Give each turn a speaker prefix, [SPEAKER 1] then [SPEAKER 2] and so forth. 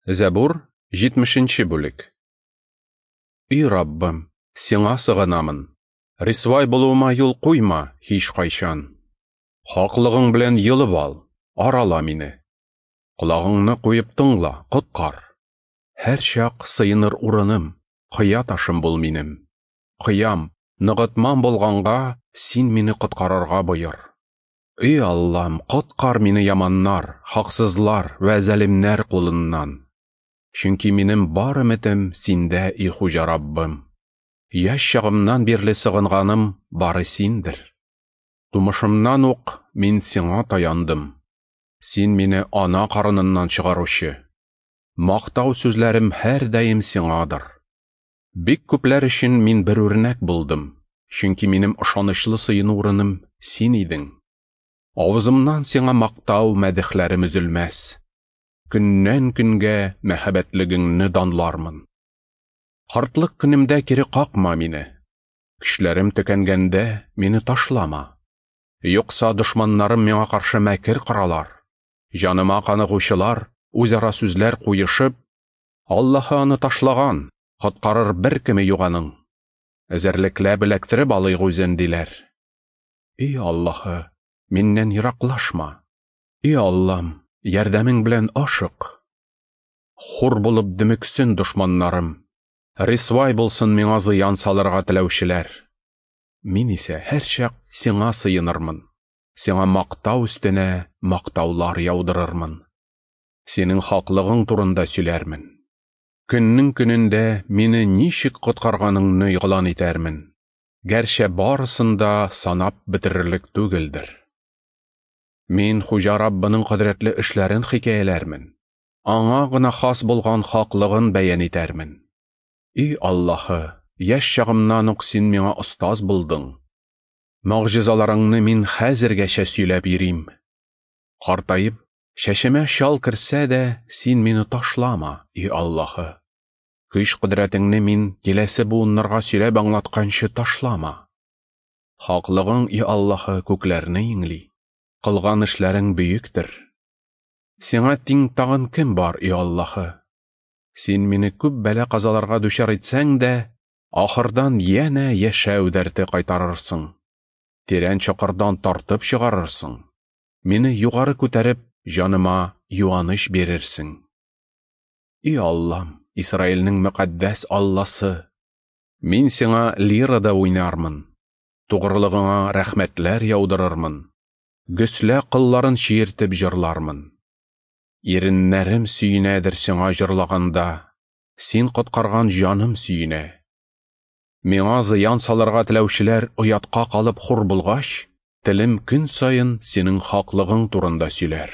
[SPEAKER 1] Зәбур, 70 бүлек. И Раббым, сиңа сыгынамын. Рисвай булуыма юл куйма һич кайчан. Хаклыгың белән йолып ал, арала мине. Колагыңны куеп тыңла, коткар. Һәрчак сыеныр урыным, кыя ташым бул минем. Кыям, ныгытмам булганга, син мине коткарырга боер. И Аллам, коткар мине яманнар, хаксызлар вә залимнәр кулыннан. Чөнки минем бар өметем синдә, и Хуҗа Раббым. Яшь чагымнан бирле сыгынганым бары синдер. Тумышымнан ук мин сиңа таяндым. Син мине ана карыныннан чыгаручы. Мактау сүзләрем һәрдаим сиңадыр. Бик күпләр өчен мин бер үрнәк булдым, чөнки минем ышанычлы сыену урыным син идең. Авызымнан сиңа мактау мәдехләрем өзелмәс. Көннән көнгә мәһабәтлегеңне данлармын. Картлык көнемдә кире какма мине. Көчләрем төкәнгәндә мине ташлама. Юкса дошманнарым миңа каршы мәкер коралар. Җаныма каныгучылар үзара сүзләр куешып, Аллаһы аны ташлаган, коткарыр бер кеме юк аның. Эзәрлекләп эләктереп алыйк үзен, диләр. И Аллаһы, миннән ераклашма. И Аллам, ярдәмең белән ашык. Хур булып дөмексен дошманнарым. Рисвай булсын миңа зыян салырга теләүчеләр. Мин исә һәрчак сиңа сыенырмын. Сиңа мактау өстенә мактаулар яудырырмын. Синең хаклыгың турында сөйләрмен. Көннең көнендә мине ничек коткарганыңны игълан итәрмен. Гәрчә барысын да санап бетерерлек түгелдер. Мин Хуҗа Раббының кодрәтле эшләрен хикәяләрмен. Аңа гына хас булган хаклыгын бәян итәрмен. И Аллаһы, яшь чагымнан ук син миңа остаз булдың. Могҗизаларыңны мин хәзергәчә сөйләп йөрим. Картаеп, чәчемә чал керсә дә, син мине ташлама, и Аллаһы. Көч кодрәтеңне мин киләсе буыннарга сөйләп аңлатканчы ташлама. Хаклыгың, и Аллаһы, күкләрне иңли. Кылган эшләрең бөектер. Сиңа тиң тагын кем бар, и Аллаһы? Син мине күп бәла-казаларга дучар итсәң дә, ахырдан янә яшәү дәрте кайтарырсың. Тирән чокырдан тартып чыгарырсың. Мине югары күтәреп, җаныма юаныч бирерсең. И Аллам, Исраилнең мөкаддәс Алласы, мин сиңа лирада уйнармын, тугрылыгыңа рәхмәтләр яудырырмын. Гөслә кылларын чиертеп җырлармын. Иреннәрем сөенәдер сиңа җырлаганда, син коткарган җаным сөенә. Миңа зыян салырга теләүчеләр оятка калып хур булгач, телем көн саен синең хаклыгың турында сөйләр.